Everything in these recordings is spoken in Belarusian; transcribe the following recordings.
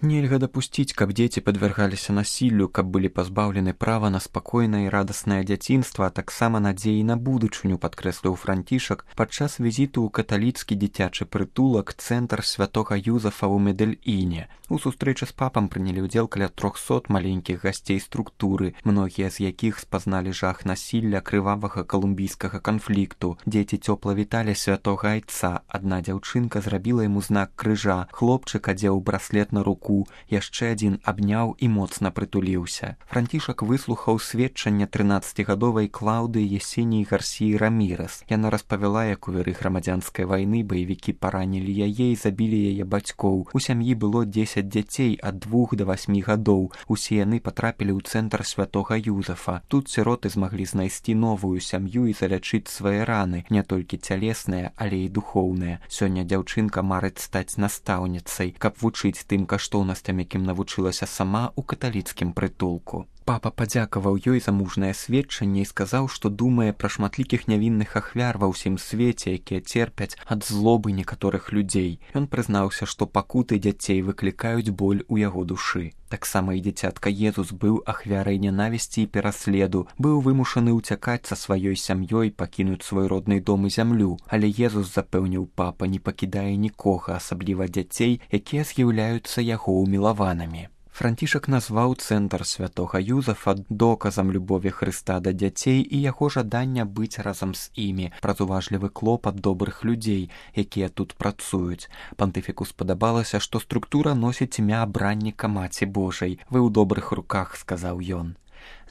Нельга дапусціць, каб дзеці падвяргаліся насіллю, каб былі пазбаўлены права на спакойнае і радаснае дзяцінства, а таксама надзеі на будучыню, падкрэсліў Францішак падчас візіту ў каталіцкі дзіцячы прытулак цэнтр святога Юзафа ў Медэльіне. У сустрэчы з папам прынялі ўдзел каля 300 маленькіх гасцей структуры, многія з якіх спазналі жах насілля крывавага калумбійскага канфлікту. Дзеці цёпла віталі святога айца. Адна дзяўчынка зрабіла яму знак крыжа, хлопчык адзеў браслет на руку, яшчэ адзін абняў і моцна прытуліўся. Францішак выслухаў сведчанне 13гадовай Клаўдыі Есеніі Гарсіі Рамірэс. Яна распавяла, як у выры грамадзянскай вайны баевікі паранілі яе і забілі яе бацькоў. У сям'і было 10 дзяцей ад 2 до 8 гадоў. Усе яны патрапілі ў цэнтр святога Юзафа. Тут сіроты змаглі знайсці новую сям'ю і залячыць свае раны, не толькі цялесныя, але і духоўныя. Сёння дзяўчынка марыць стаць настаўніцай, каб вучыць тым каштоўнасцям, якім навучылася сама ў каталіцкім прытулку. Папа падзякаваў ёй за мужнае сведчанне і сказаў, што думае пра шматлікіх нявінных ахвяр ва ўсім свеце, якія церпяць ад злобы некаторых людзей. Ён прызнаўся, што пакуты дзяцей выклікаюць боль у яго душы. Таксама і дзіцятка Езус быў ахвярай нянавісці і пераследу, быў вымушаны ўцякаць са сваёй сям'ёй, пакінуць свой родны дом і зямлю. Але Езус, запэўніў папа, не пакідае нікога, асабліва дзяцей, якія з'яўляюцца яго ўмілаванымі. Францішак назваў цэнтр святога Юзафа доказам любові Хрыста да дзяцей і яго жадання быць разам з імі праз уважлівы клопат добрых людзей, якія тут працуюць. Пантыфіку спадабалася, што структура носіць імя абранніка Маці Божай. Вы ў добрых руках, сказаў ён.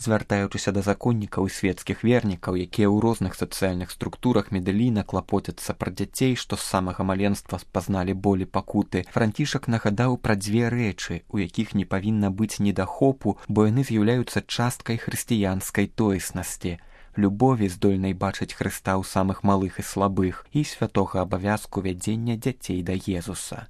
Звяртаючыся да законнікаў і светскіх вернікаў, якія ў розных сацыяльных структурах Медэліна клапоцяцца пра дзяцей, што з самага маленства спазналі болі пакуты, Францішак нагадаў пра дзве рэчы, у якіх не павінна быць недахопу, бо яны з'яўляюцца часткай хрысціянскай тоеснасці. Любові, здольнай бачыць Хрыста ў самых малых і слабых, і святога абавязку вядзення дзяцей да Езуса.